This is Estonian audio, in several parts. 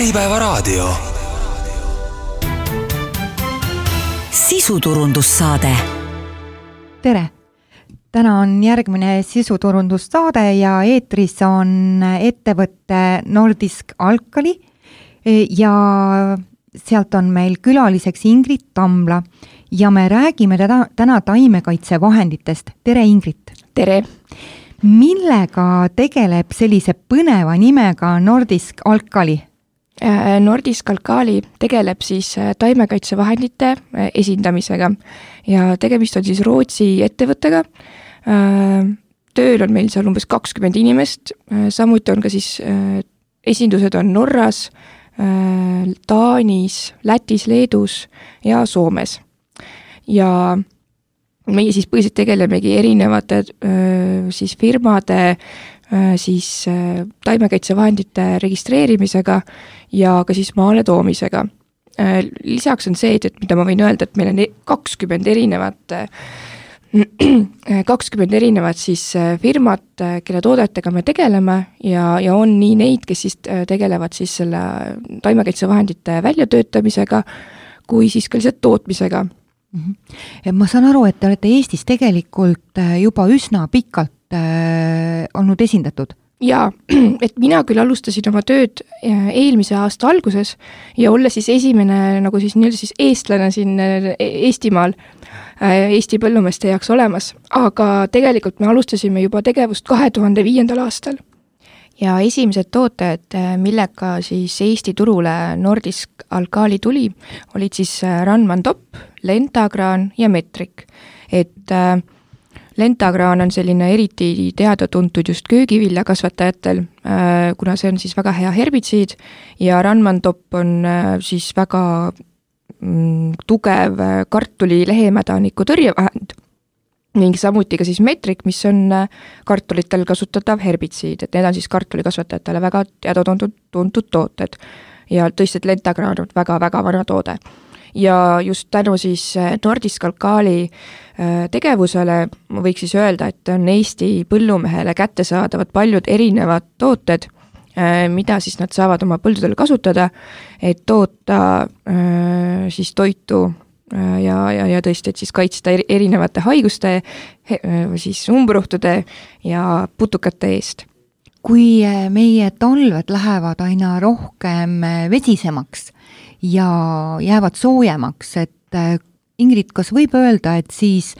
Äripäevaraadio. Sisuturundussaade. Tere! Täna on järgmine sisuturundussaade ja eetris on ettevõtte Nordisk Alkali ja sealt on meil külaliseks Ingrid Tamla ja me räägime täna taimekaitsevahenditest. Tere Ingrid! Tere! Millega tegeleb sellise põneva nimega Nordisk Alkali? Nordisk Alkali tegeleb siis taimekaitsevahendite esindamisega ja tegemist on siis Rootsi ettevõttega. Tööl on meil seal umbes 20 inimest, samuti on ka siis esindused on Norras, Taanis, Lätis, Leedus ja Soomes. Ja meie siis põhiliselt tegelemegi erinevate siis firmade siis taimekaitsevahendite registreerimisega ja ka siis maale toomisega. Lisaks on see, et mida ma võin öelda, et meil on 20 erinevat siis firmat, kelle toodetega me tegeleme ja on nii neid, kes siis tegelevad siis selle taimekaitsevahendite väljatöötamisega kui siis ka lihtsalt tootmisega. Ma saan aru, et te olete Eestis tegelikult juba üsna pikalt olnud esindatud. Jaa, et mina küll alustasin oma tööd eelmise aasta alguses ja olla siis esimene nagu siis nii-öelda siis eestlane siin Eestimaal Eesti põllumeeste jaoks olemas, aga tegelikult me alustasime juba tegevust 2005. aastal. Ja esimesed tooted, millega siis Eesti turule Nordisk Alkali tuli, olid siis Ranman Top, Lentagraan ja Metrik. Et Lentagraan on selline eriti teada-tuntud just köögiviljakasvatajatel, kuna see on siis väga hea herbitsiid ja Ranman Top on siis väga tugev kartuli lehemädaniku tõrjevahend. Ning samuti ka siis Metrik, mis on kartulitel kasutatav herbitsiid, et need on siis kartulikasvatajatele väga teada-tuntud tooted. Ja tõesti, et Lentagraan on väga-väga vana toode. Ja just tänu siis Nordisk Alkali tegevusele ma võiks siis öelda, et on Eesti põllumehele kättesaadavad paljud erinevad tooted, mida siis nad saavad oma põldudel kasutada, et toota siis toitu ja tõesti, et siis kaitsta erinevate haiguste, siis umbrohtude ja putukate eest. Kui meie talved lähevad aina rohkem vesisemaks ja jäävad soojemaks, et Ingrid, kas võib öelda, et siis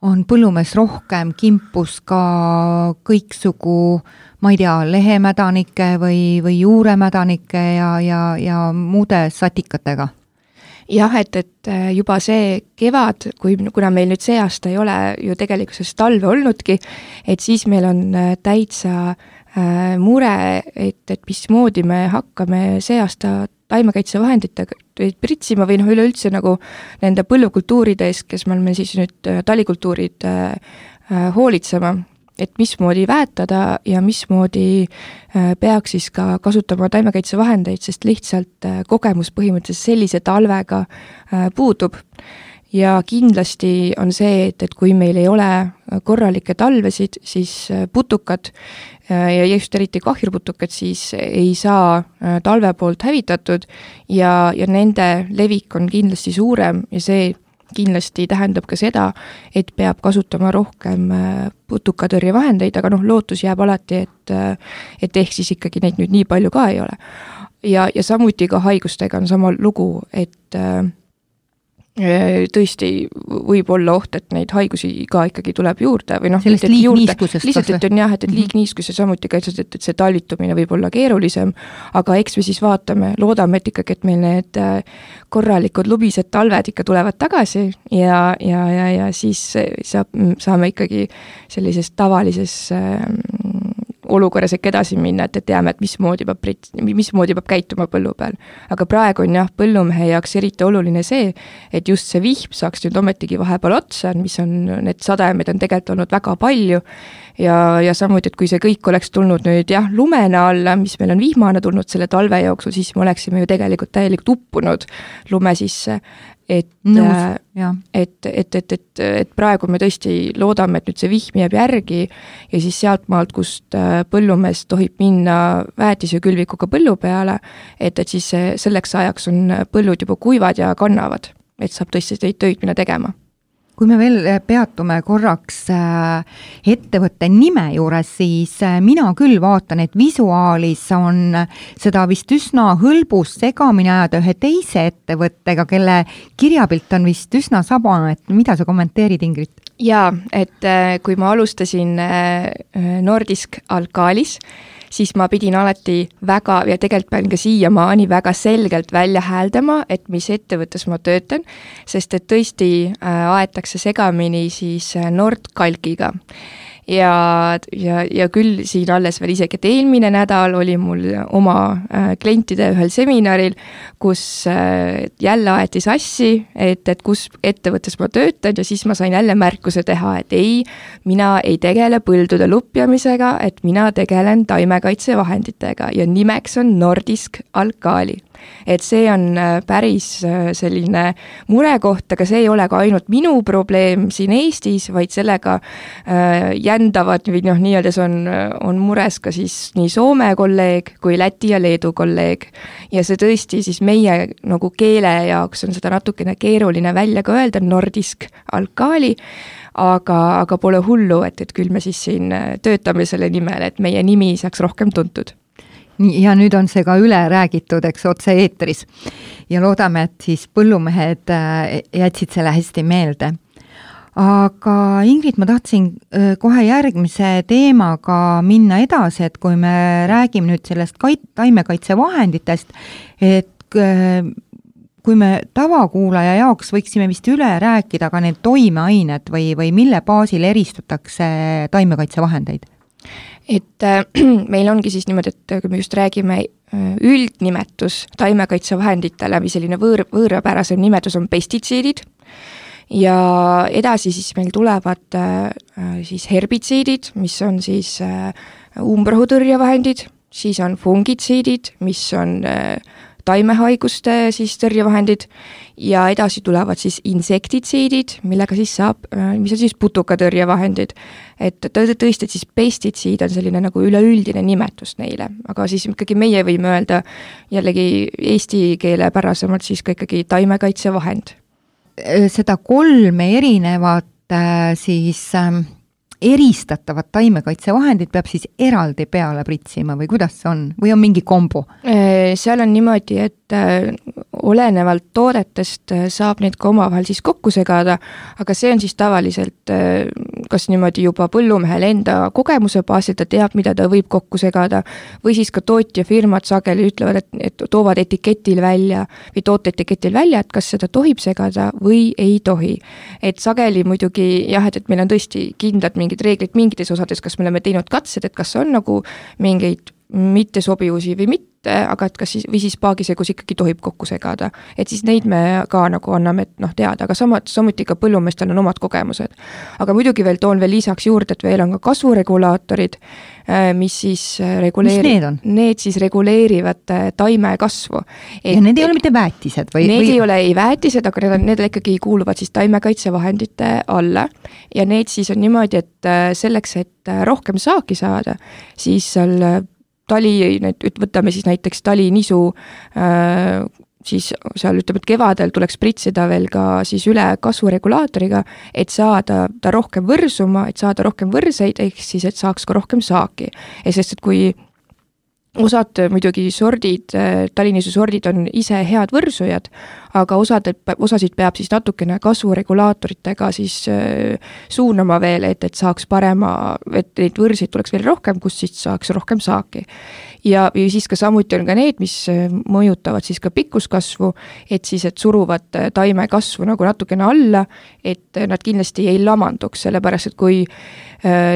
on põllumees rohkem kimpus ka kõiksugu, ma ei tea, lehemädanike või juuremädanike ja muude satikatega? Jah, et juba see kevad, kuna meil nüüd see aasta ei ole ju tegelikkuses talve olnudki, et siis meil on täitsa mure, et mismoodi me hakkame see aasta taimekaitsevahenditega pritsima või üleüldse nagu nende põllukultuuride eest, kes me oleme siis nüüd talikultuurid hoolitsema, et mismoodi väetada ja mismoodi peaks siis ka kasutama taimekaitsevahendeid, sest lihtsalt kogemus põhimõtteliselt sellise talvega puudub. Ja kindlasti on see, et kui meil ei ole korralikke talvesid, siis putukad ja just eriti kahjurputukad siis ei saa talve poolt hävitatud ja nende levik on kindlasti suurem ja see kindlasti tähendab ka seda, et peab kasutama rohkem putukatõrjevahendeid, aga lootus jääb alati, et ehk siis ikkagi neid nüüd nii palju ka ei ole. Ja samuti ka haigustega on sama lugu, et tõesti võib olla oht, et neid haigusi ka ikkagi tuleb juurde või sellest liigniiskusest lihtsalt, et on jah, et liigniiskus ja samuti ka, et see talvitumine võib olla keerulisem, aga eks me siis vaatame, loodame, et ikkagi, et meil need korralikud lubised talved ikka tulevad tagasi ja siis saame ikkagi sellises tavalises olukorras ikka edasi minna, et teame, et mismoodi peab käituma põllu peal. Aga praegu on jah, põllumehe jaoks eriti oluline see, et just see vihm saaks nüüd ometigi vahepeal otsa, mis on, need sadajamed on tegelikult olnud väga palju ja samuti, et kui see kõik oleks tulnud nüüd jah, lumena alla, mis meil on vihmana tulnud selle talve jooksul, siis me oleksime ju tegelikult täielikult uppunud lume sisse. et praegu me tõesti loodame, et nüüd see vihm jääb järgi ja siis sealt maalt, kust põllumees tohib minna väetisekülvikuga põllu peale, et siis selleks ajaks on põllud juba kuivad ja kannavad, et saab tõesti neid töid minna tegema. Kui me veel peatume korraks ettevõtte nime juures, siis mina küll vaatan, et visuaalis on seda vist üsna hõlbus segamini ajada ühe teise ettevõttega, kelle kirjapilt on vist üsna sabane, et mida sa kommenteerid, Ingrid? Jaa, et kui ma alustasin Nordisk Alkalis, siis ma pidin alati väga, ja tegelikult pean ka siiamaani väga selgelt välja hääldama, et mis ettevõttes ma töötan, sest et tõesti aetakse segamini siis Nordkalkiga. Ja küll siin alles veel isegi, et eelmine nädal oli mul oma klientide ühel seminaril, kus jälle aeti sassi, et kus ettevõttes ma töötan ja siis ma sain jälle märkuse teha, et ei, mina ei tegele põldude lupjamisega, et mina tegelen taimekaitsevahenditega ja nimeks on Nordisk Alkali. Et see on päris selline murekoht, aga see ei ole ka ainult minu probleem siin Eestis, vaid sellega jändavad või nii-öelda see on mures ka siis nii Soome kolleeg kui Läti ja Leedu kolleeg. Ja see tõesti siis meie nagu keele jaoks on seda natukene keeruline välja ka öelda, Nordisk Alkali, aga pole hullu, et küll me siis siin töötame selle nimel, et meie nimi saaks rohkem tuntud. Ja nüüd on see ka üle räägitud, eks, otse eetris. Ja loodame, et siis põllumehed jätsid selle hästi meelde. Aga Ingrid, ma tahtsin kohe järgmise teemaga minna edasi, et kui me räägime nüüd sellest taimekaitsevahenditest, et kui me tavakuulaja jaoks võiksime vist üle rääkida ka need toimeained või mille baasil eristatakse taimekaitsevahendeid? Et meil ongi siis niimoodi, et kui me just räägime üldnimetus taimekaitsevahenditele või selline võõrapärasem nimetus on pestitsiidid ja edasi siis meil tulevad siis herbitsiidid, mis on siis umbrohutõrjevahendid, siis on fungitsiidid, mis on taimehaiguste siis tõrjevahendid ja edasi tulevad siis insektitsiidid, millega siis saab, mis on siis putukatõrjevahendid. Et tõesti, et siis pestitsiid on selline nagu üleüldine nimetus neile, aga siis ikkagi meie võime öelda jällegi eesti keele pärasemalt siis ka ikkagi taimekaitsevahend. Seda 3 erinevat siis eristatavat taimekaitsevahendid peab siis eraldi peale pritsima või kuidas see on? Või on mingi kombo? Seal on niimoodi, et olenevalt toodetest saab neid ka omavahel siis kokku segada, aga see on siis tavaliselt kas niimoodi juba põllumehel enda kogemuse baasil, ta teab, mida ta võib kokku segada, või siis ka tootjafirmad sageli ütlevad, et toovad etiketil välja või tooteetiketil välja, et kas seda tohib segada või ei tohi. Et sageli muidugi jah, et meil on tõesti kindlad mingid reeglid mingites osades, kas me oleme teinud katsed, et kas on nagu mingeid mittesobivusi või mitte, aga et kas siis, või siis paagisegus ikkagi tohib kokku segada. Et siis neid me ka nagu anname teada, aga samuti ka põllumeestel on omad kogemused. Aga muidugi veel toon veel lisaks juurde, et veel on ka kasvuregulaatorid, mis siis need siis reguleerivad taime kasvu. Ja need ei ole mitte väetised? Need ei ole ei väetised, aga need ikkagi kuuluvad siis taimekaitsevahendite alla ja need siis on niimoodi, et selleks, et rohkem saaki saada, siis seal võtame siis näiteks talinisu, siis seal ütleme, et kevadel tuleks pritsida veel ka siis üle kasvuregulaatoriga, et saada ta rohkem võrsuma, et saada rohkem võrseid, ehk siis, et saaks ka rohkem saaki. Ja sest, et kui osad muidugi talinisu sordid on ise head võrsujad, aga osasid peab siis natukene kasvuregulaatoritega siis suunama veel, et saaks parema, et neid võrseid tuleks veel rohkem, kus siis saaks rohkem saaki. Ja siis ka samuti on ka need, mis mõjutavad siis ka pikkuskasvu, et siis, et suruvad taime kasvu nagu natukene alla, et nad kindlasti ei lamanduks, sellepärast, et kui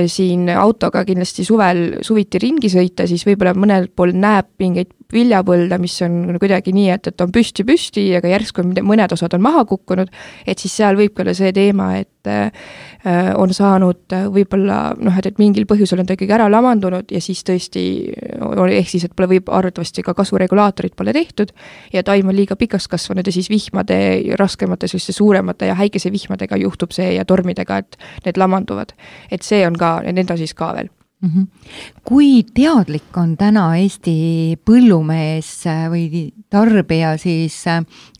siin autoga kindlasti suviti ringi sõita, siis võib-olla mõnel pool näeb mingeid viljapõlda, mis on kuidagi nii, et on püsti, aga järsku mõned osad on maha kukkunud, et siis seal võib ka olla see teema, et on saanud võib-olla et mingil põhjusel on ta ikkagi ära lamandunud ja siis tõesti ehk siis, et pole võib arvatavasti ka kasvuregulaatorid pole tehtud ja taim on liiga pikaks kasvanud ja siis vihmade, raskemate, selliste suuremate ja häikese vihmadega juhtub see ja tormidega, et need lamanduvad. Et see on ka, need on siis ka veel. Kui teadlik on täna Eesti põllumees või tarbija siis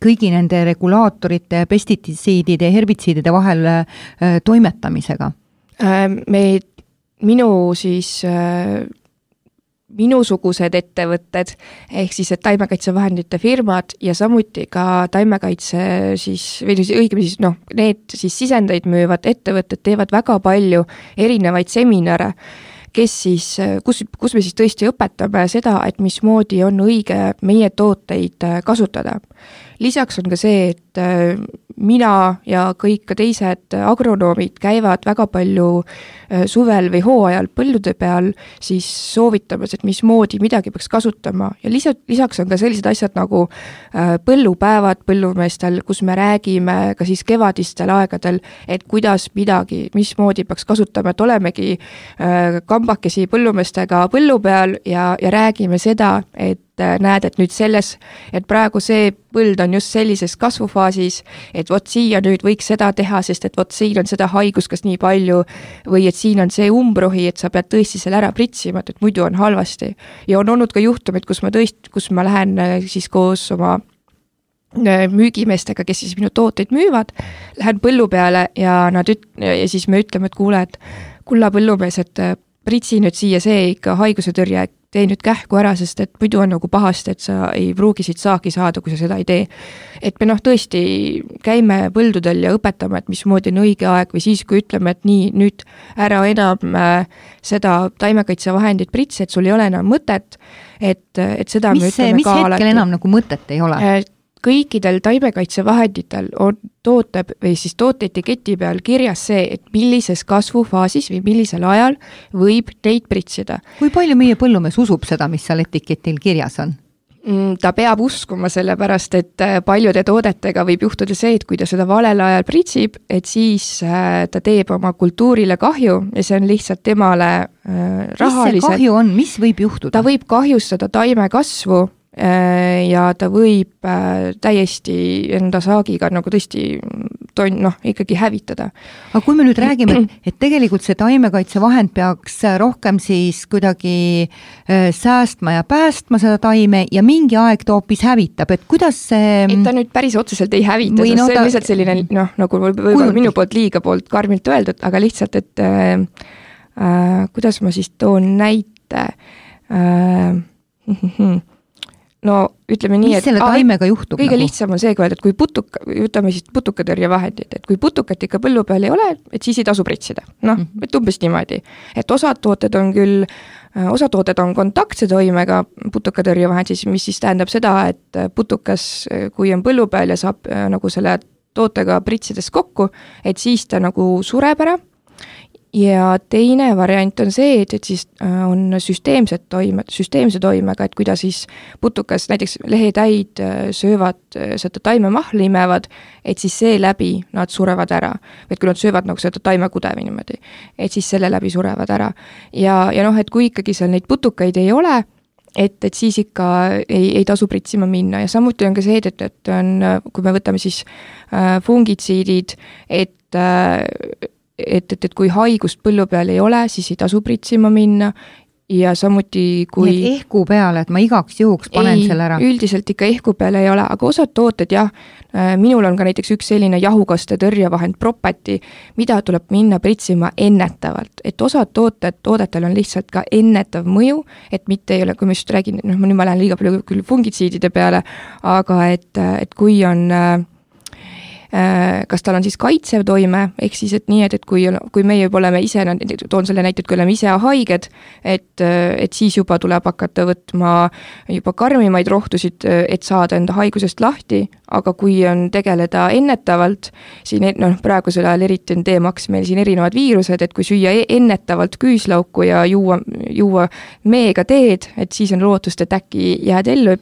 kõigi nende regulaatorite, pestititsiidide ja herbitsiidide vahel toimetamisega? Minusugused ettevõtted, ehk siis et taimekaitsevahendite firmad ja samuti ka taimekaitse siis, või õigemini siis need siis sisendeid müüvad ettevõtted teevad väga palju erinevaid seminare, kus me siis tõesti õpetame seda, et mismoodi on õige meie tooteid kasutada. Lisaks on ka see, et mina ja kõik ka teised agronoomid käivad väga palju suvel või hooajal põllude peal siis soovitamas, et mismoodi midagi peaks kasutama ja lisaks on ka sellised asjad nagu põllupäevad põllumeestel, kus me räägime ka siis kevadistel aegadel, et kuidas midagi, mismoodi peaks kasutama, et olemegi kambakesi põllumeestega põllu peal ja räägime seda, et näed, et nüüd et praegu see põld on just sellises kasvufaasis, et vot siia nüüd võiks seda teha, sest et vot siin on seda haigust kas nii palju või et siin on see umbrohi, et sa pead tõesti selle ära pritsima, et muidu on halvasti. Ja on olnud ka juhtumid, kus ma lähen siis koos oma müügimeestega, kes siis minu tooteid müüvad, lähen põllu peale ja siis me ütleme, et kuule, et kulla põllumees, et pritsi nüüd siia see ikka haiguse tõrje, tee nüüd kähku ära, sest et muidu on nagu pahasti, et sa ei pruugi siit saaki saada, kui sa seda ei tee. Et me tõesti käime põldudel ja õpetame, et mismoodi on õige aeg või siis, kui ütleme, et nii, nüüd ära enam seda taimekaitsevahendit pritsi, et sul ei ole enam mõtet, et seda me ütleme ka alati. Mis hetkel enam nagu mõtet ei ole? Kõikidel taimekaitsevahenditel on tooteetiketi peal kirjas see, et millises kasvufaasis või millisel ajal võib neid pritsida. Kui palju meie põllumees usub seda, mis seal etiketil kirjas on? Ta peab uskuma sellepärast, et paljude toodetega võib juhtuda see, et kui ta seda valel ajal pritsib, et siis ta teeb oma kultuurile kahju ja see on lihtsalt temale rahaliselt. Mis see kahju on? Mis võib juhtuda? Ta võib kahjustada taime kasvu ja ta võib täiesti enda saagiga nagu tõesti ikkagi hävitada. Aga kui me nüüd räägime, et tegelikult see taimekaitsevahend peaks rohkem siis kuidagi säästma ja päästma seda taime ja mingi aeg ta hoopis hävitab, et kuidas see... Et ta nüüd päris otseselt ei hävita, see on lihtsalt selline, nagu võib-olla minu poolt liiga poolt karmilt öeldud, aga lihtsalt, et kuidas ma siis toon näite... No ütleme nii, mis selle taimega juhtub? Kõige lihtsam on see, et kui ütleme siis putukatõrjevahendid, et kui putukat ikka põllu peal ei ole, et siis ei tasu pritsida. Et umbes niimoodi. Et osad tooted on kontaktse toimega putukatõrjevahend, mis siis tähendab seda, et putukas, kui on põllu peal ja saab nagu selle tootega pritsides kokku, et siis ta nagu sureb ära. Ja teine variant on see, et siis on süsteemse toimega, et kui ta siis putukas, näiteks lehetäid söövad, seda taimemahli imevad, et siis see läbi nad surevad ära. Et kui nad söövad nagu seda taimekudevi niimoodi, et siis selle läbi surevad ära. Ja et kui ikkagi seal neid putukaid ei ole, et siis ikka ei tasu pritsima minna ja samuti on ka see, et on, kui me võtame siis fungitsiidid, et kui haigust põllu peal ei ole, siis ei tasu pritsima minna ja samuti kui... Nii et ehku peale, et ma igaks juhuks panen selle ära? Üldiselt ikka ehku peale ei ole, aga osad tooted jah, minul on ka näiteks üks selline jahukaste tõrjevahend Propati, mida tuleb minna pritsima ennetavalt, et osad toodetel on lihtsalt ka ennetav mõju, et mitte ei ole, kui ma just räägin, nüüd ma lähen liiga palju küll fungitsiidide peale, aga et kui on kas tal on siis kaitsev toime, ehk siis, et nii, et kui meie juba oleme ise, toon selle näite, et kui oleme ise haiged, et siis juba tuleb hakata võtma juba karmimaid rohtusid, et saada enda haigusest lahti, aga kui on tegeleda ennetavalt, siin praegusel ajal eriti on teemaks meil siin erinevad viirused, et kui süüa ennetavalt küüslauku ja juua meega teed, et siis on lootust, et äkki jääd ellu,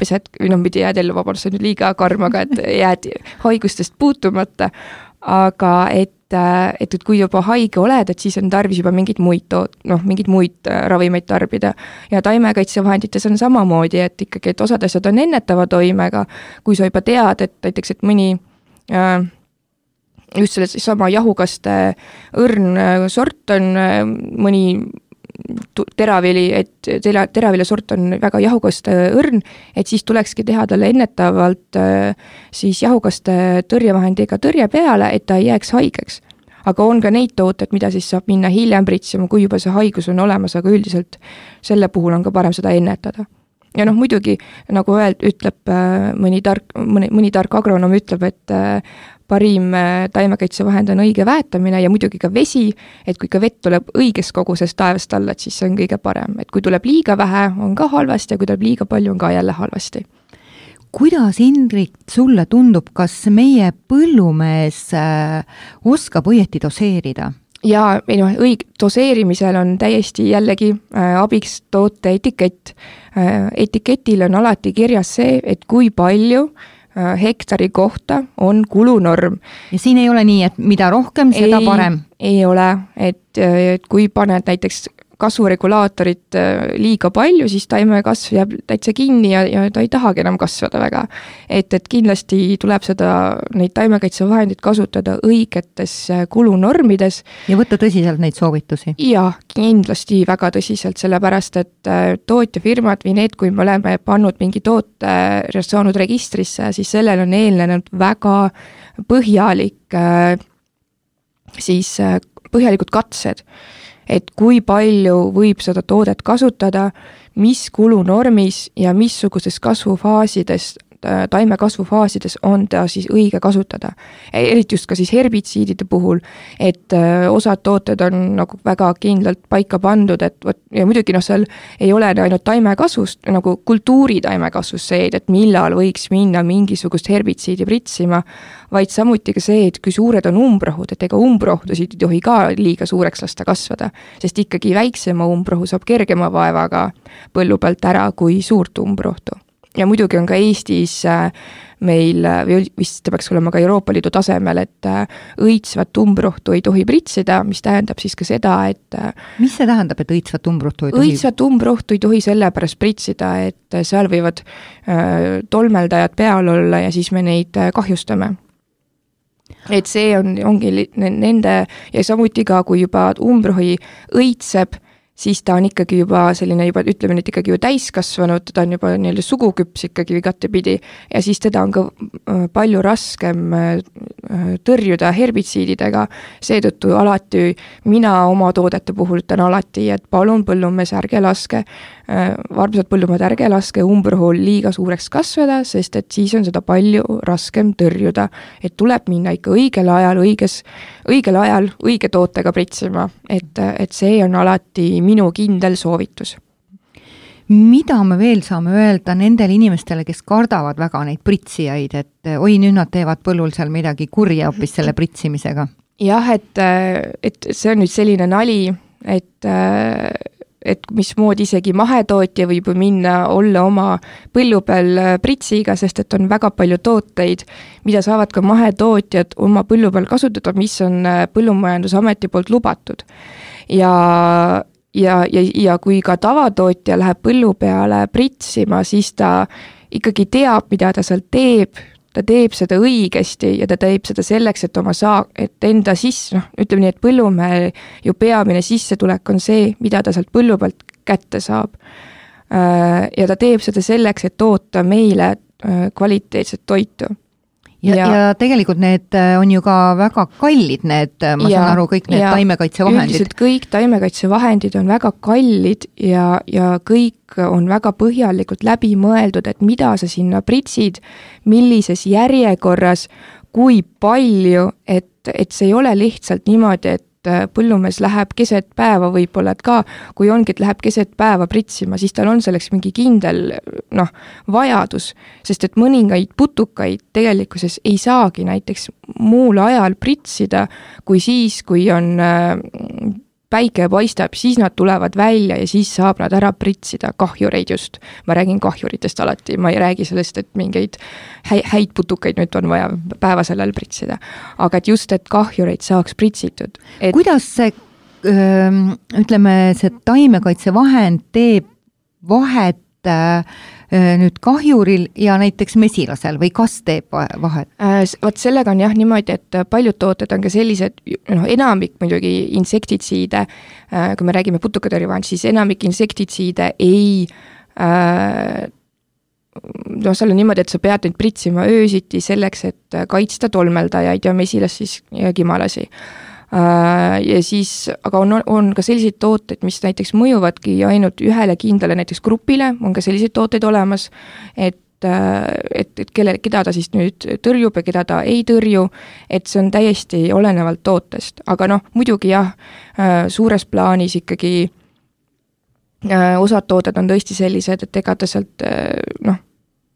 mitte jääd ellu, vabandust, see on nüüd liiga karm, aga et jääd haigustest puutuma, aga et kui juba haige oled, et siis on tarvis juba mingeid muid ravimeid tarbida. Ja taimekaitsevahendites on samamoodi, et ikkagi, et osad asjad on ennetava toimega, kui sa juba tead, et näiteks, et mõni just selle sama jahukaste õrn sort on mõni teravili, et teravile sort on väga jahukaste õrn, et siis tulekski teha talle ennetavalt siis jahukaste tõrjevahendiga tõrje peale, et ta ei jääks haigeks. Aga on ka neid tooted, mida siis saab minna hiljem pritsima, kui juba see haigus on olemas, aga üldiselt selle puhul on ka parem seda ennetada. Ja muidugi, nagu ütleb mõni tark agronom ütleb, et parim taimekaitsevahend on õige väetamine ja muidugi ka vesi, et kui ka vett tuleb õiges koguses taevast alla, et siis see on kõige parem. Et kui tuleb liiga vähe, on ka halvasti ja kui tuleb liiga palju, on ka jälle halvasti. Kuidas, Ingrid, sulle tundub, kas meie põllumees oskab õieti doseerida? Ja doseerimisel on täiesti jällegi abiks toote etikett. Etiketil on alati kirjas see, et kui palju hektari kohta on kulunorm. Ja siin ei ole nii, et mida rohkem, seda parem? Ei ole, et kui paned näiteks kasvuregulaatorit liiga palju, siis taime kasv jääb täitsa kinni ja ta ei tahagi enam kasvada väga. Et kindlasti tuleb neid taimekaitsevahendid kasutada õigetes kulunormides. Ja võtta tõsiselt neid soovitusi? Ja kindlasti väga tõsiselt, sellepärast, et tootjafirmad või need, kui me oleme pannud mingi toote saanud registrisse, siis sellel on eelnenud väga põhjalikud katsed, et kui palju võib seda toodet kasutada, mis kulunormis ja missuguses kasvufaasides, taime kasvufaasides on ta siis õige kasutada. Eriti just ka siis herbitsiidide puhul, et osad tooted on nagu väga kindlalt paika pandud, ja muidugi seal ei ole ainult taimekasvust, nagu kultuuri taimekasvust see, et millal võiks minna mingisugust herbitsiidi pritsima, vaid samuti ka see, et kui suured on umbrohud, et ega umbrohtusid ei tohi ka liiga suureks lasta kasvada, sest ikkagi väiksema umbrohu saab kergema vaevaga põllu pealt ära kui suurt umbrohtu. Ja muidugi on ka Eestis meil, vist peaks olema ka Euroopa Liidu tasemel, et õitsvat umbrohtu ei tohi pritsida, mis tähendab siis ka seda, et mis see tähendab, et õitsvat umbrohtu ei tohi? Õitsvat umbrohtu ei tohi sellepärast pritsida, et seal võivad tolmeldajad peal olla ja siis me neid kahjustame. Et see ongi nende ja samuti ka, kui juba umbrohi õitseb, siis ta on ikkagi juba selline, ütleme nüüd ikkagi ju täiskasvanud, ta on juba nii-öelda suguküps ikkagi igatepidi ja siis teda on ka palju raskem tõrjuda herbitsiididega, seetõttu alati mina oma toodete puhul ütlen alati, et palun põllumees ärge laske, armsad põllumehed ärge laske umbrohul liiga suureks kasvada, sest et siis on seda palju raskem tõrjuda, et tuleb minna ikka õigel ajal õige tootega pritsima, et see on alati minu kindel soovitus. Mida me veel saame öelda nendele inimestele, kes kardavad väga neid pritsijaid, et oi, nüüd nad teevad põllul seal midagi kurja hoopis selle pritsimisega? Jah, et see on nüüd selline nali, et mismoodi isegi mahetootja võib minna olla oma põllu peal pritsiga, sest et on väga palju tooteid, mida saavad ka mahetootjad oma põllu peal kasutada, mis on Põllumajandusameti poolt lubatud. Ja kui ka tavatootja läheb põllu peale pritsima, siis ta ikkagi teab, mida ta seal teeb, ta teeb seda õigesti ja ta teeb seda selleks, et enda ütleme nii, et põllumehe ju peamine sissetulek on see, mida ta sealt põllu pealt kätte saab. Ja ta teeb seda selleks, et toota meile kvaliteetset toitu. Ja tegelikult need on ju ka väga kallid, saan aru, kõik need taimekaitsevahendid. Üldiselt kõik taimekaitsevahendid on väga kallid ja kõik on väga põhjalikult läbi mõeldud, et mida sa sinna pritsid, millises järjekorras, kui palju, et see ei ole lihtsalt niimoodi, et põllumees läheb keset päeva võib-olla, et ka kui ongi, et läheb keset päeva pritsima, siis tal on selleks mingi kindel vajadus, sest et mõningaid putukaid tegelikkuses ei saagi näiteks muul ajal pritsida, kui siis, kui on päike paistab, siis nad tulevad välja ja siis saab nad ära pritsida, kahjureid just. Ma räägin kahjuritest alati, ma ei räägi sellest, et mingeid häid putukaid nüüd on vaja päevasel ajal pritsida. Aga et just, et kahjureid saaks pritsitud. Kuidas see, ütleme, see taimekaitsevahend teeb vahet nüüd kahjuril ja näiteks mesilasel või kas teeb vahet? Vot sellega on jah niimoodi, et paljud tooted on ka sellised, enamik muidugi insektitsiide, kui me räägime putukatõrjevahend, siis enamik insektitsiide ei seal on niimoodi, et sa pead neid pritsima öösiti selleks, et kaitsta tolmeldajaid ja mesilas siis ja kimalasi. Ja siis, aga on ka selliseid tooteid, mis näiteks mõjuvadki ainult ühele kindlale näiteks grupile, on ka selliseid tooteid olemas, et keda ta siis nüüd tõrjub ja keda ta ei tõrju, et see on täiesti olenevalt tootest. Aga muidugi jah, suures plaanis ikkagi osad tooted on tõesti sellised, et ega ta sealt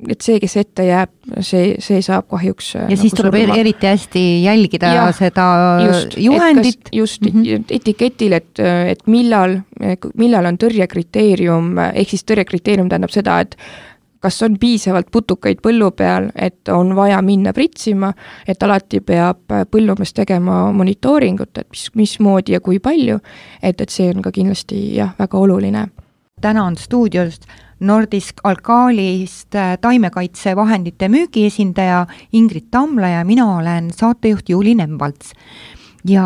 et see, kes ette jääb, see saab kahjuks ja siis tuleb eriti hästi jälgida seda juhendit. Just etiketil, et millal on tõrjekriteerium, ehk siis tõrjekriteerium tähendab seda, et kas on piisavalt putukaid põllu peal, et on vaja minna pritsima, et alati peab põllumees tegema monitooringut, et mismoodi ja kui palju, et see on ka kindlasti väga oluline. Täna on stuudiost Nordisk Alkalist taimekaitsevahendite müügiesindaja Ingrid Tamla ja mina olen saatejuht Juuli Nemvalts. Ja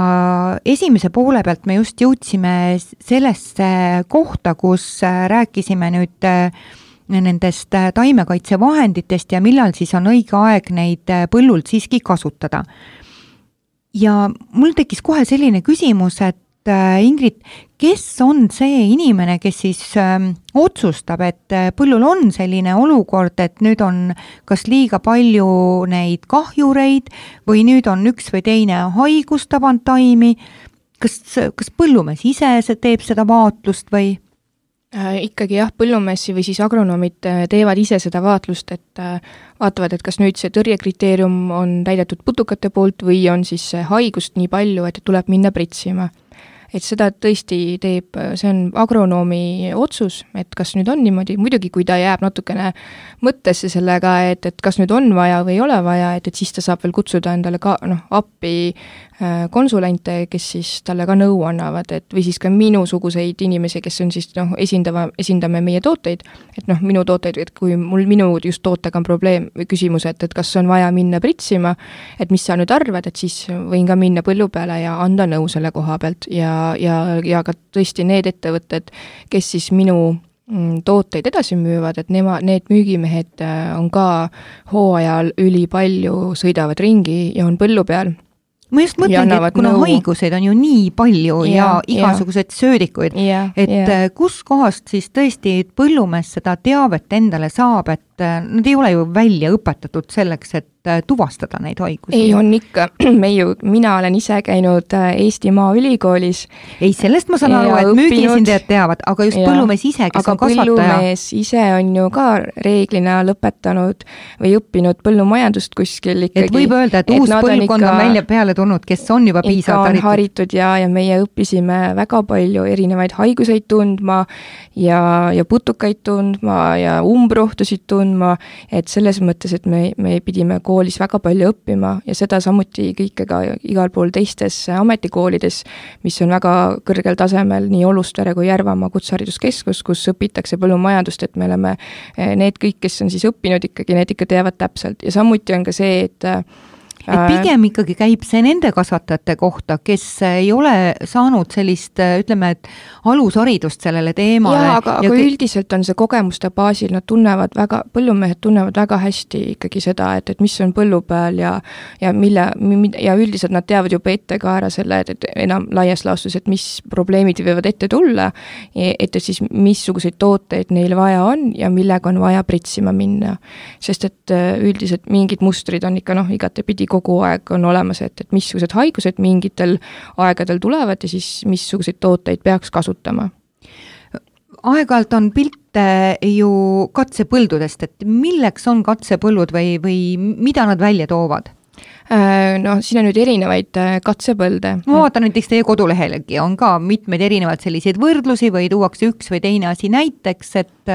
esimese poole pealt me just jõudsime sellesse kohta, kus rääkisime nüüd nendest taimekaitsevahenditest ja millal siis on õige aeg neid põllult siiski kasutada. Ja mul tekkis kohe selline küsimus, et Ingrid, kes on see inimene, kes siis otsustab, et põllul on selline olukord, et nüüd on kas liiga palju neid kahjureid või nüüd on üks või teine haigus tabanud taimi? Kas põllumees ise teeb seda vaatlust või? Ikkagi jah, põllumees või siis agronomid teevad ise seda vaatlust, et vaatavad, et kas nüüd see tõrjekriteerium on täidetud putukate poolt või on siis haigust nii palju, et tuleb minna pritsima. Et seda tõesti teeb, see on agronoomi otsus, et kas nüüd on niimoodi, muidugi kui ta jääb natukene mõttesse sellega, et kas nüüd on vaja või ei ole vaja, et siis ta saab veel kutsuda endale ka appi konsulente, kes siis talle ka nõu annavad, et või siis ka minusuguseid inimesi, kes on siis esindame meie tooteid, et minu tooteid, et kui minu just tootega on probleem või küsimus, et kas on vaja minna pritsima, et mis sa nüüd arvad, et siis võin ka minna põllu peale ja anda nõu selle koha pealt ja ka tõesti need ettevõtted, kes siis minu tooteid edasi müüvad, et need müügimehed on ka hooajal ülipalju, sõidavad ringi ja on põllu peal. Ma just mõtlengi, et kuna haiguseid on ju nii palju ja igasugused söödikuid, et kus kohast siis tõesti põllumees seda teavet endale saab, et nad ei ole ju välja õpetatud selleks, et tuvastada neid haigusi. Ei, on ikka. Mina olen ise käinud Eesti Maaülikoolis. Ei, sellest ma saan aru, et müügiesindajad teavad, aga just põllumees ise, kes on kasvataja. Aga põllumees ise on ju ka reeglina lõpetanud või õppinud põllumajandust kuskil ikkagi. Et võib öelda, et uus põlvkond on välja peale tulnud, kes on juba piisavalt haritud ja meie õppisime väga palju erinevaid haiguseid tundma ja putukaid tundma ja umbrohtusid tundma, et selles mõttes, et me pidime koolis väga palju õppima ja seda samuti kõike ka igal pool teistes ametikoolides, mis on väga kõrgel tasemel, nii Olustvere kui Järvamaa kutsehariduskeskus, kus õpitakse põllumajandust, et me oleme need kõik, kes on siis õppinud ikkagi, need ikka teavad täpselt ja samuti on ka see, et pigem ikkagi käib see nende kasvatajate kohta, kes ei ole saanud sellist, ütleme, et alusharidust sellele teemale. Aga üldiselt on see kogemuste baasil, põllumehed tunnevad väga hästi ikkagi seda, et mis on põllu peal ja üldiselt nad teavad juba ette ka ära selle, et enam laias laastus, et mis probleemid võivad ette tulla, et siis missuguseid tooteid neil vaja on ja millega on vaja pritsima minna. Sest et üldiselt mingid mustrid on ikka igatepidi kogu aeg on olemas, et missugused haigused mingitel aegadel tulevad ja siis missuguseid tooteid peaks kasutama. Aeg-ajalt on pilte ju katsepõldudest, et milleks on katsepõllud või mida nad välja toovad? No siin on nüüd erinevaid katsepõlde. Ma vaatan näiteks teie kodulehelegi, on ka mitmeid erinevaid selliseid võrdlusi või tuuakse üks või teine asi näiteks, et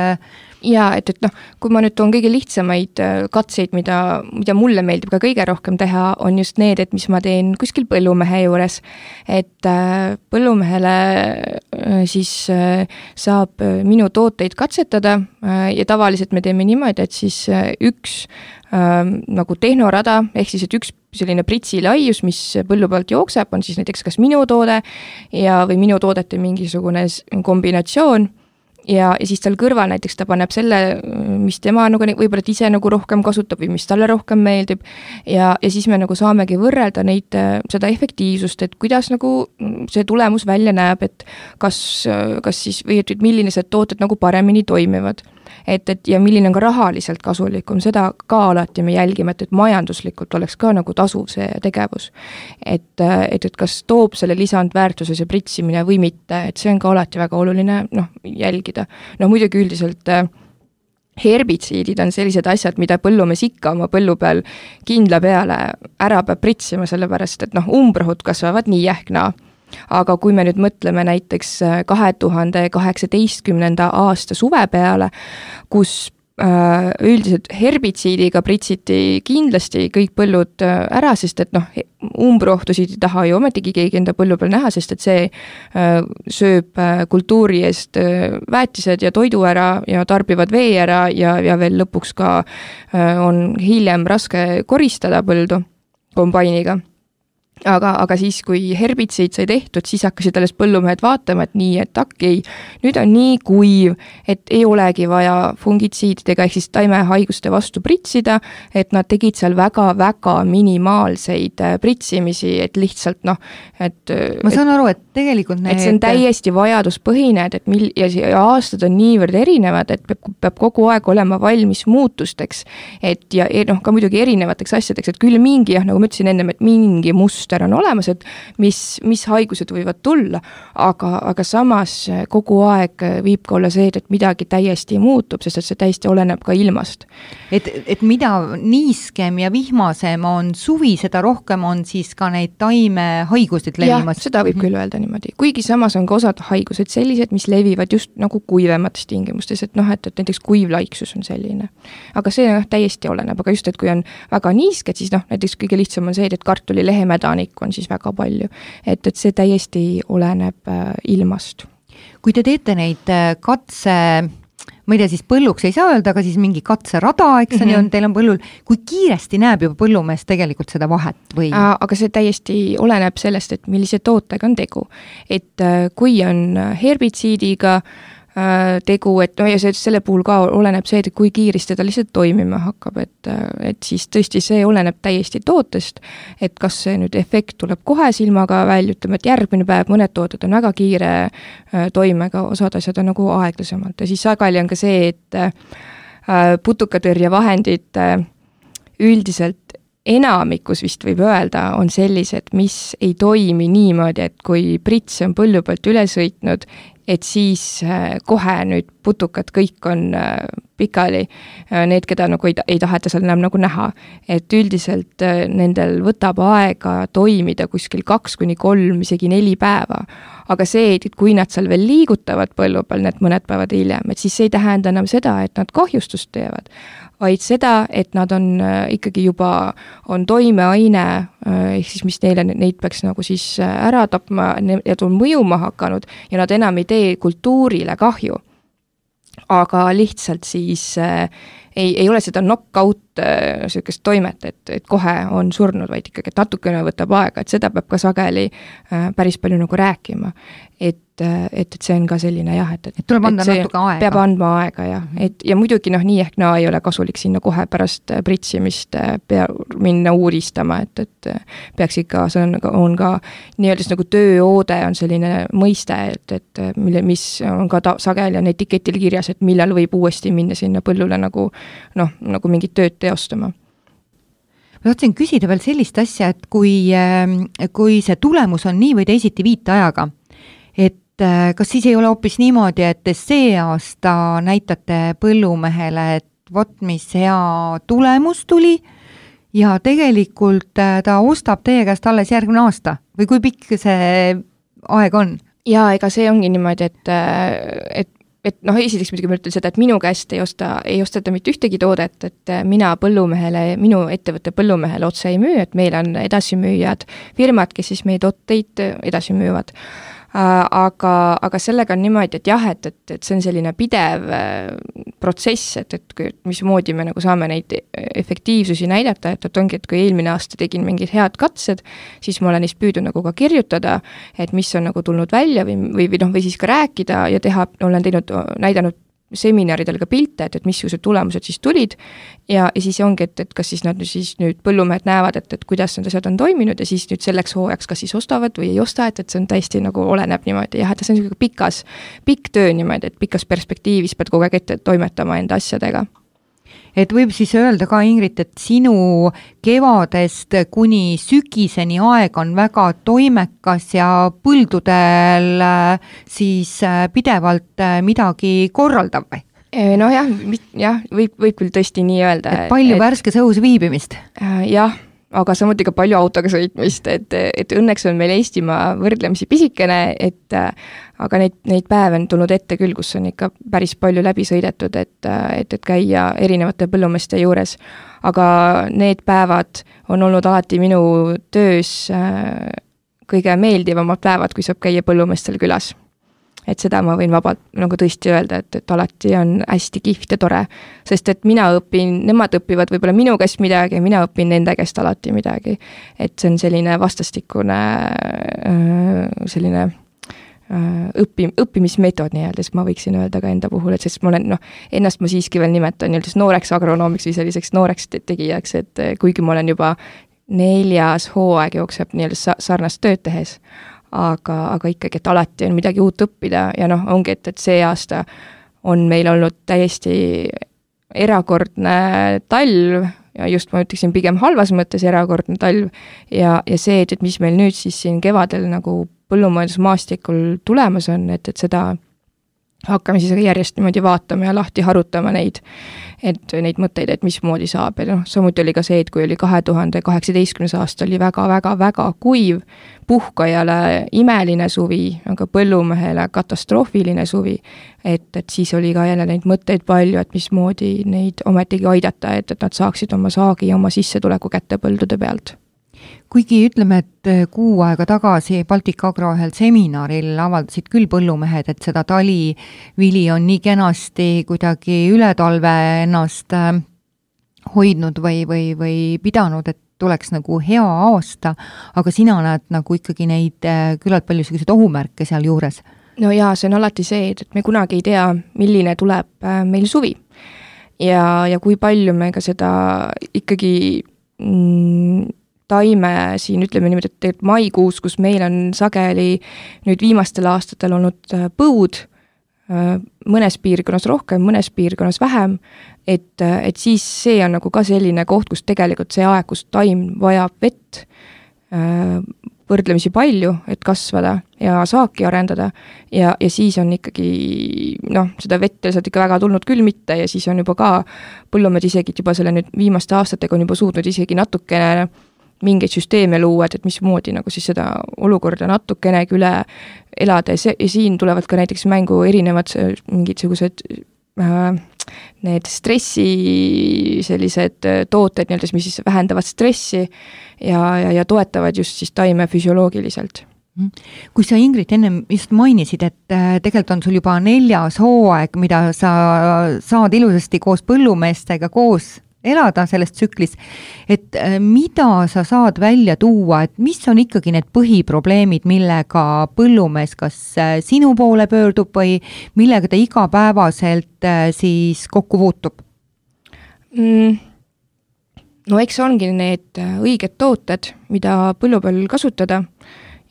ja et noh, kui ma nüüd toon kõige lihtsamaid katseid, mida mulle meeldib ka kõige rohkem teha, on just need, et mis ma teen kuskil põllumehe juures, et põllumehele siis saab minu tooteid katsetada ja tavaliselt me teeme niimoodi, et siis üks nagu tehnorada, ehk siis, et üks selline pritsi laius, mis põllu pealt jookseb, on siis näiteks kas minu toode või minu toodete mingisugune kombinatsioon ja siis tal kõrval näiteks ta paneb selle, mis tema nagu võib-olla ise nagu rohkem kasutab või mis talle rohkem meeldib ja siis me nagu saamegi võrrelda neid, seda efektiivsust, et kuidas nagu see tulemus välja näeb, et kas siis või et millised tooted nagu paremini toimivad. Et ja milline on ka rahaliselt kasulikum, seda ka alati me jälgime, et majanduslikult oleks ka nagu tasuv see tegevus. Et kas toob selle lisandväärtuse see pritsimine või mitte, et see on ka alati väga oluline jälgida. Muidugi üldiselt herbitsiidid on sellised asjad, mida põllumees ikka oma põllu peal kindla peale ära peab pritsima, sellepärast et umbrohud kasvavad nii ehk naa. Aga kui me nüüd mõtleme näiteks 2018. aasta suve peale, kus üldiselt herbitsiidiga pritsiti kindlasti kõik põllud ära, sest et umbrohtusid ei taha ju ometigi keegi enda põllu peal näha, sest et see sööb kultuuri eest väetised ja toidu ära ja tarbivad vee ära ja veel lõpuks ka on hiljem raske koristada põldu kombainiga. Aga siis, kui herbitsiid sai tehtud, siis hakkasid alles põllumehed vaatama, et nii, et okei, nüüd on nii kuiv, et ei olegi vaja fungitsiididega ehk siis taimehaiguste vastu pritsida, et nad tegid seal väga-väga minimaalseid pritsimisi, et lihtsalt et ma saan aru, et tegelikult et see on täiesti vajaduspõhine, ja aastad on niivõrd erinevad, et peab kogu aeg olema valmis muutusteks, et ja ka muidugi erinevateks asjadeks, et küll mingi, nagu ma ütlesin ennem, et mingi must on olemas, et mis haigused võivad tulla, aga samas kogu aeg viib ka olla see, et midagi täiesti muutub, sest et see täiesti oleneb ka ilmast. Et mida niiskem ja vihmasem on suvi, seda rohkem on siis ka neid taimehaigused levimas. Jah, seda võib küll öelda niimoodi. Kuigi samas on ka osad haigused sellised, mis levivad just nagu kuivemates tingimustes, et näiteks kuivlaiksus on selline. Aga see täiesti oleneb, aga just, et kui on väga niisked, siis näiteks kõige lihtsam on see, et kartuli lehemädanik on siis väga palju, et see täiesti oleneb ilmast. Kui te teete neid katse, ma ei tea, siis põlluks ei saa öelda, aga siis mingi katserada, eks on teil on põllul, kui kiiresti näeb juba põllumees tegelikult seda vahet või? Aga see täiesti oleneb sellest, et millise tootega on tegu. Et kui on herbitsiidiga tegu, et ja selle puhul ka oleneb see, et kui kiiresti ta lihtsalt toimima hakkab, et siis tõesti see oleneb täiesti tootest, et kas see nüüd efekt tuleb kohe silmaga välja, ütleme, et järgmine päev mõned tooted on väga kiire toimega, osad asjad on nagu aeglasemalt ja siis sageli on ka see, et putukatõrjevahendid üldiselt enamikus vist võib öelda, on sellised, mis ei toimi niimoodi, et kui prits on põllu pealt üle sõitnud, et siis kohe nüüd putukad kõik on pikali, need, keda nagu ei taheta seal enam nagu näha. Et üldiselt nendel võtab aega toimida kuskil 2-3, isegi 4 päeva. Aga see, et kui nad seal veel liigutavad põllu peal need mõned päevad hiljem, et siis ei tähenda enam seda, et nad kahjustust teevad, vaid seda, et nad on ikkagi juba on toimeaine, ehk siis mis neid peaks nagu siis ära tapma ja mõjuma hakanud ja nad enam ei tee kultuurile kahju. Aga lihtsalt siis ei ole seda knockout sellist toimet, et kohe on surnud, vaid ikkagi, et natukene võtab aega, et seda peab ka sageli päris palju nagu rääkima. Et see on ka selline jah, et tuleb anda natuke aega. Peab andma aega jah, ja muidugi nii ehk naa ei ole kasulik sinna kohe pärast pritsimist minna uuristama, et peaks ikka, see on ka nii-öelda nagu tööoode on selline mõiste, mis on ka sageli on etiketil kirjas, et millal võib uuesti minna sinna põllule nagu mingit tööd teostama. Ma tahtsin küsida veel sellist asja, et kui see tulemus on nii või teisiti viitajaga, et kas siis ei ole hoopis niimoodi, et see aasta näitate põllumehele, et vot mis hea tulemus tuli ja tegelikult ta ostab teie käest alles järgmine aasta või kui pikk see aeg on? Jaa, ega see ongi niimoodi, et esiteks muidugi ma ütlen seda, et minu käest ei osteta mitte ühtegi toodet, et mina põllumehele, minu ettevõtte põllumehele otse ei müü, et meil on edasimüüjad firmad, kes siis meie tooteid edasi müüvad. Aga sellega on niimoodi, et jah, et see on selline pidev protsess, et mismoodi me nagu saame neid efektiivsusi näidata, et ongi, et kui eelmine aasta tegin mingid head katsed, siis ma olen neist püüdnud nagu ka kirjutada, et mis on nagu tulnud välja või siis ka rääkida ja olen näidanud seminaridel ka pilte, et missugused tulemused siis tulid ja siis ongi, et kas siis nad siis nüüd põllumehed näevad, et kuidas need asjad on toiminud ja siis nüüd selleks hooajaks kas siis ostavad või ei osta, et see on täiesti nagu oleneb niimoodi jah, et see on pikk töö niimoodi, et pikas perspektiivis pead kogu aeg ette toimetama enda asjadega. Et võib siis öelda ka, Ingrid, et sinu kevadest kuni sügiseni aeg on väga toimekas ja põldudel siis pidevalt midagi korraldav või? No jah, võib küll tõesti nii öelda. Et palju värskes õhus viibimist? Jah, aga samuti ka palju autoga sõitmist, et õnneks on meil Eestimaa võrdlemisi pisikene, aga neid päeve on tulnud ette küll, kus on ikka päris palju läbi sõidetud, et käia erinevate põllumeeste juures. Aga need päevad on olnud alati minu töös kõige meeldivamad päevad, kui saab käia põllumeestel külas. Et seda ma võin vabalt nagu tõesti öelda, et alati on hästi kihvt ja tore, sest et nemad õpivad võib-olla minu käest midagi ja mina õpin nende käest alati midagi. Et see on selline vastastikune selline õppimismeetod nii-öelda, siis ma võiksin öelda ka enda puhul, et sest ma olen, ennast ma siiski veel nimetan nii-öelda nooreks agronoomiks või selliseks nooreks tegijaks, et kuigi ma olen juba 4. hooaeg jookseb nii-öelda sarnast tööd tehes, aga ikkagi, et alati on midagi uut õppida ja ongi, et see aasta on meil olnud täiesti erakordne talv ja just ma ütleksin pigem halvas mõttes erakordne talv ja see, et mis meil nüüd siis siin kevadel nagu põllumajandusmaastikul tulemas on, et seda hakkame siis järjest niimoodi vaatama ja lahti harutama neid mõtteid, et mismoodi saab. Ja samuti oli ka see, et kui oli 2018. aasta oli väga kuiv, puhkajale imeline suvi, aga põllumehele katastroofiline suvi, et siis oli ka jälle neid mõtteid palju, et mismoodi neid ometigi aidata, et nad saaksid oma saagi ja oma sissetuleku kätte põldude pealt. Kuigi ütleme, et kuu aega tagasi Baltic Agro ühel seminaril avaldasid küll põllumehed, et seda talivili on nii kenasti kuidagi üle talve ennast hoidnud või pidanud, et tuleks nagu hea aasta, aga sina näed nagu ikkagi neid küllalt palju selliseid ohumärke seal juures. No jaa, see on alati see, et me kunagi ei tea, milline tuleb meil suvi ja kui palju me ka seda ikkagi taime siin, ütleme niimoodi, et maikuus, kus meil on sageli nüüd viimastel aastatel olnud põud, mõnes piirkonnas rohkem, mõnes piirkonnas vähem, et siis see on nagu ka selline koht, kus tegelikult see aeg, kus taim vajab vett võrdlemisi palju, et kasvada ja saaki arendada ja siis on ikkagi, seda vett sealt ikka väga tulnud küll mitte ja siis on juba ka põllumehed isegi juba selle nüüd viimaste aastatega on juba suutnud isegi natukene mingeid süsteeme luua, et mismoodi nagu siis seda olukorda natukenegi üle elada ja siin tulevad ka näiteks mängu erinevad mingitsugused need stressi sellised tooted, nii-öelda, mis siis vähendavad stressi ja toetavad just siis taime füsioloogiliselt. Kui sa, Ingrid, ennem just mainisid, et tegelikult on sul juba 4. hooaeg, mida sa saad ilusasti koos põllumeestega koos elada selles tsüklis, et mida sa saad välja tuua, et mis on ikkagi need põhiprobleemid, millega põllumees kas sinu poole pöördub või millega ta igapäevaselt siis kokku puutub? No eks ongi need õiged tooted, mida põllu peal kasutada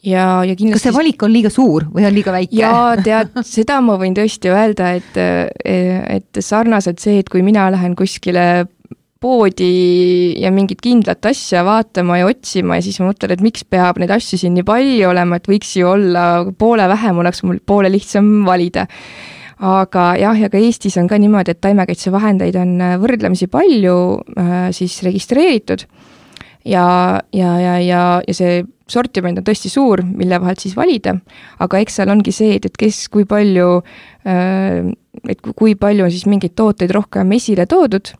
ja kindlasti... Kas see valik on liiga suur või on liiga väike? Jaa, tead, seda ma võin tõesti öelda, et sarnaselt see, et kui mina lähen kuskile poodi ja mingit kindlat asja vaatama ja otsima ja siis ma mõtlen, et miks peab neid asju siin nii palju olema, et võiks ju olla poole vähem, oleks mul poole lihtsam valida. Aga jah, ja ka Eestis on ka niimoodi, et taimekaitsevahendeid on võrdlemisi palju siis registreeritud ja see sortiment on tõesti suur, mille vahelt siis valida, aga eks seal ongi see, et kes kui palju on siis mingeid tooteid rohkem esile toodud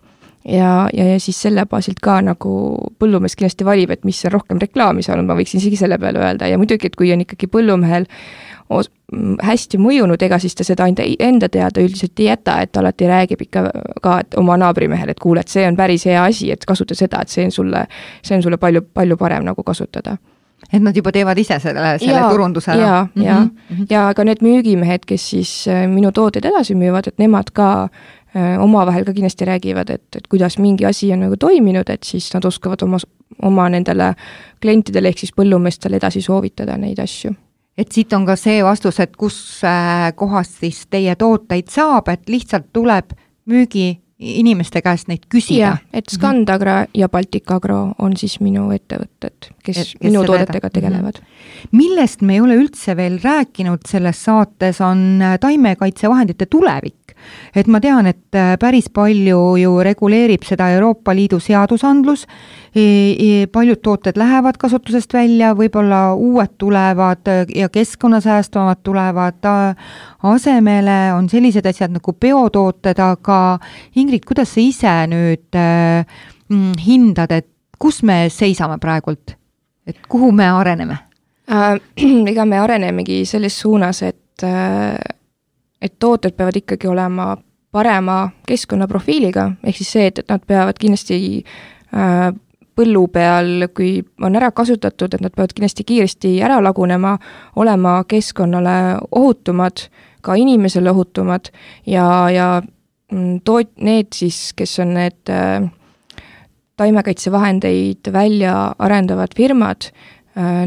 ja siis selle baasilt ka nagu põllumees kindlasti valib, et mis on rohkem reklaami saanud, ma võiksin isegi selle peale öelda ja muidugi, et kui on ikkagi põllumehel hästi mõjunud, ega siis ta seda enda teada üldiselt ei jäta, et alati räägib ikka ka oma naabrimehel, et kuule, et see on päris hea asi, et kasuta seda, et see on sulle palju, palju parem nagu kasutada. Et nad juba teevad ise selle turunduse ära. Ja ka need müügimehed, kes siis minu tooteid edasi müüvad, et nemad ka omavahel ka kindlasti räägivad, et kuidas mingi asi on nagu toiminud, et siis nad oskavad oma nendele klientidele ehk siis põllumeestele edasi soovitada neid asju. Et siit on ka see vastus, et kus kohast siis teie tooteid saab, et lihtsalt tuleb müügi inimeste käest neid küsida. Et Scandagra ja Balticagro on siis minu ettevõtted, kes minu toodetega tegelevad. Millest me ei ole üldse veel rääkinud selles saates on taimekaitsevahendite tulevik. Et ma tean, et päris palju ju reguleerib seda Euroopa Liidu seadusandlus, paljud tooted lähevad kasutusest välja, võib-olla uued tulevad ja keskkonnasäästvamad tulevad asemele, on sellised asjad nagu biotooted, aga Ingrid, kuidas sa ise nüüd hindad, et kus me seisame praegult? Et kuhu me areneme? Ega me arenemegi selles suunas, et tooted peavad ikkagi olema parema keskkonnaprofiiliga, ehk siis see, et nad peavad kindlasti põllu peal, kui on ära kasutatud, et nad peavad kindlasti kiiresti ära lagunema, olema keskkonnale ohutumad, ka inimesele ohutumad ja need siis, kes on need taimekaitsevahendeid välja arendavad firmad,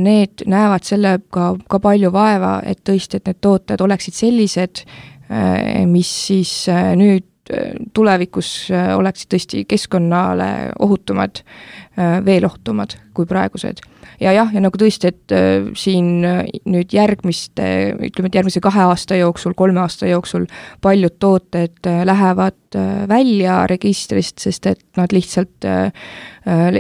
need näevad sellega ka palju vaeva, et tõesti, et need tooted oleksid sellised, mis siis nüüd tulevikus oleksid tõesti keskkonnale ohutumad, veel ohutumad kui praegused. Ja nagu tõesti, et siin nüüd järgmise 2 aasta jooksul, 3 aasta jooksul paljud tooted lähevad välja registrist, sest et nad lihtsalt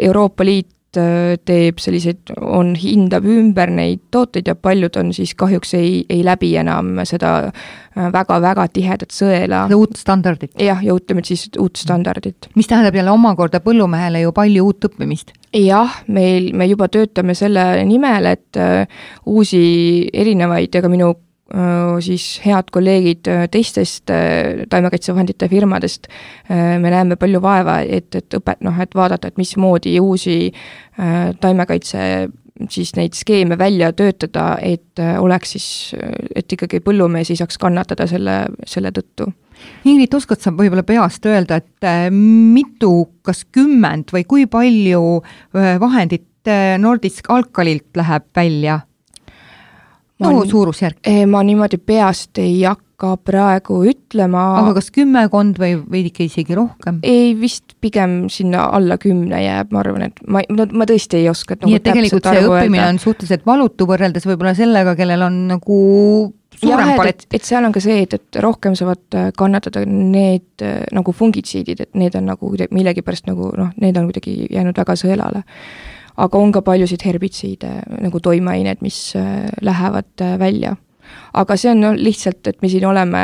Euroopa Liit teeb selliseid, hindab ümber neid tooteid ja paljud on siis kahjuks ei läbi enam seda väga-väga tihedat sõela. Uut standardit. Ja ütleme siis uut standardit. Mis tähendab jälle omakorda põllumehele ju palju uut õppimist? Jah, me juba töötame selle nimel, et uusi erinevaid ja ka minu siis head kolleegid teistest taimekaitsevahendite firmadest, me näeme palju vaeva, et vaadata, et mismoodi uusi taimekaitse siis neid skeeme välja töötada, et oleks siis, et ikkagi põllumees ei saaks kannatada selle tõttu. Ingrid, oskad sa võib-olla peast öelda, et mitu, kas 10 või kui palju vahendit Nordisk Alkalilt läheb välja? Suurusjärk. Ma niimoodi peast ei hakka praegu ütlema. Aga kas 10 või ikka isegi rohkem? Ei, vist pigem sinna alla 10 jääb, ma arvan, et ma tõesti ei oska. Nii et tegelikult see õppimine on suhteliselt valutu võrreldes võib-olla sellega, kellel on nagu suurem palet. Et seal on ka see, et rohkem saavad kannatada need nagu fungitsiidid, et need on nagu millegi pärast nagu, need on kuidagi jäänud väga sõelale. Aga on ka paljusid herbitsiide nagu toimeained, mis lähevad välja. Aga see on lihtsalt, et me siin oleme,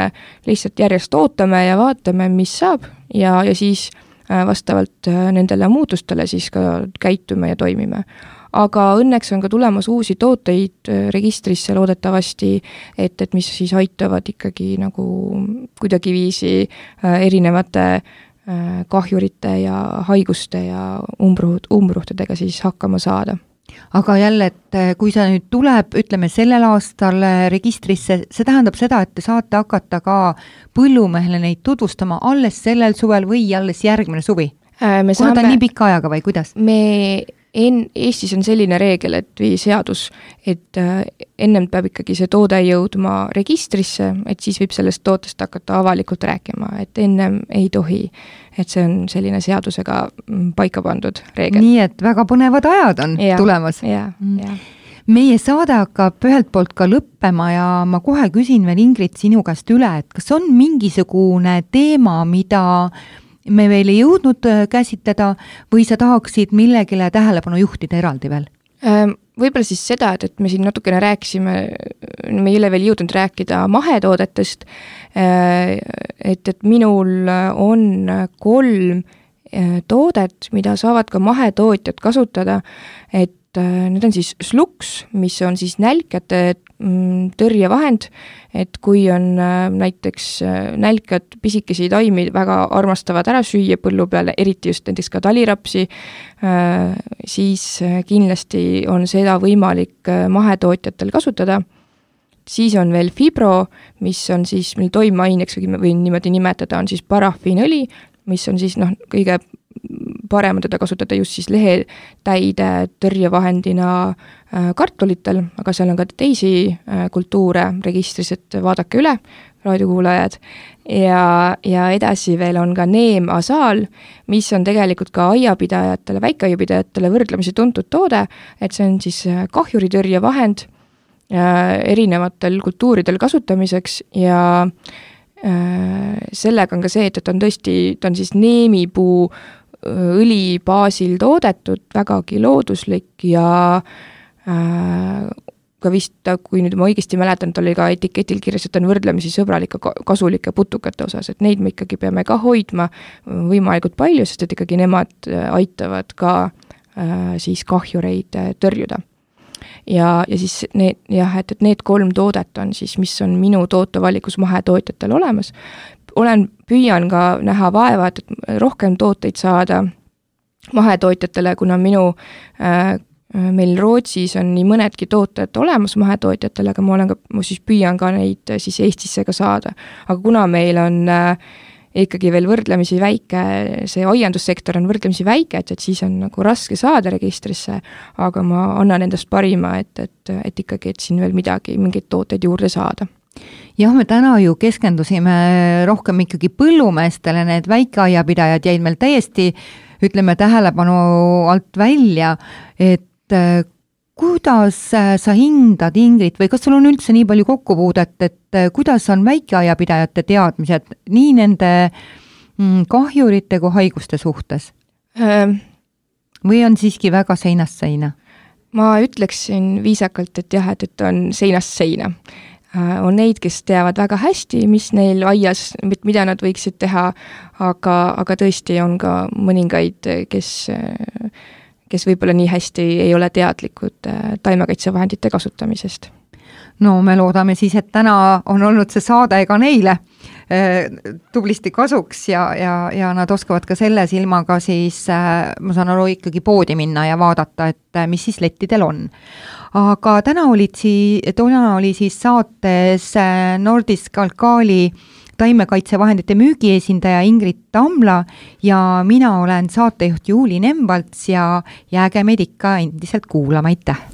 lihtsalt järjest ootame ja vaatame, mis saab ja siis vastavalt nendele muutustele siis ka käitume ja toimime. Aga õnneks on ka tulemas uusi tooteid registrisse loodetavasti, et mis siis aitavad ikkagi nagu kuidagiviisi erinevate kahjurite ja haiguste ja umbruhtedega siis hakkama saada. Aga jälle, et kui see nüüd tuleb, ütleme sellel aastal registrisse, see tähendab seda, et te saate hakata ka põllumehele neid tutvustama alles sellel suvel või alles järgmine suvi? Kuna ta on nii pika ajaga või kuidas? Me Eestis on selline reegel, et või seadus, et ennem peab ikkagi see toode jõudma registrisse, et siis võib sellest tootest hakata avalikult rääkima, et ennem ei tohi, et see on selline seadusega paika pandud reegel. Nii et väga põnevad ajad on tulemas. Meie saade hakkab ühelt poolt ka lõppema ja ma kohe küsin veel Ingrid sinu käest üle, et kas on mingisugune teema, mida me veel ei jõudnud käsitleda või sa tahaksid millegile tähelepanu juhtida eraldi veel? Võib-olla siis seda, et me siin natukene rääkisime, me ei ole veel jõudnud rääkida mahetoodetest, et minul on 3 toodet, mida saavad ka mahetootjad kasutada, et need on siis Slux, mis on siis nälkjate tõrjevahend, et kui on näiteks nälkjad pisikesi taimi väga armastavad ära süüa põllu peale, eriti just näiteks ka talirapsi, siis kindlasti on seda võimalik mahetootjatel kasutada. Siis on veel Fibro, mis on siis meil toimeaineks või niimoodi nimetada, on siis parafiinõli, mis on siis kõige parem teda kasutada just siis lehetäide tõrjevahendina kartulitel, aga seal on ka teisi kultuure registris, et vaadake üle, raadiokuulajad. Ja edasi veel on ka neemasaal, mis on tegelikult ka aiapidajatele, väikeaiapidajatele võrdlemisi tuntud toode, et see on siis kahjuritõrjevahend erinevatel kultuuridel kasutamiseks ja sellega on ka see, et ta on siis neemipuu õli baasil toodetud, vägagi looduslik ja ka vist, kui nüüd ma õigesti mäletan, et oli ka etiketil kirjas, et on võrdlemisi sõbralike kasulike putukate osas, et neid me ikkagi peame ka hoidma võimalikult palju, sest et ikkagi nemad aitavad ka siis kahjureid tõrjuda. Ja siis et need 3 toodet on siis, mis on minu tootevalikus mahetootjatel olemas. Püüan ka näha vaeva, et rohkem tooteid saada mahetootjatele, kuna meil Rootsis on nii mõnedki tooted olemas mahetootjatele, aga ma siis püüan ka neid siis Eestisse ka saada. Aga kuna meil on ikkagi veel võrdlemisi väike, see aiandussektor on võrdlemisi väike, et siis on nagu raske saada registrisse, aga ma annan endast parima, et ikkagi, et siin veel mingeid tooteid juurde saada. Jah, me täna ju keskendusime rohkem ikkagi põllumeestele, need väikeaiapidajad jäid meil täiesti, ütleme, tähelepanu alt välja, et kuidas sa hindad, Ingrid, või kas sul on üldse nii palju kokkupuudet, et kuidas on väikeaiapidajate teadmised nii nende kahjurite kui haiguste suhtes? Või on siiski väga seinast seina? Ma ütleksin viisakalt, et jah, et on seinast seina. On neid, kes teavad väga hästi, mis neil aias, mida nad võiksid teha, aga tõesti on ka mõningaid, kes võib-olla nii hästi ei ole teadlikud taimekaitsevahendite kasutamisest. No me loodame siis, et täna on olnud see saade ka neile tublisti kasuks ja nad oskavad ka selle silmaga siis, ma saan aru, ikkagi poodi minna ja vaadata, et mis siis lettidel on. Aga täna oli siis saates Nordisk Alkali taimekaitsevahendite müügiesindaja Ingrid Tamla ja mina olen saatejuht Juuli Nemvalts ja jääge meid ikka endiselt kuulama, aitäh!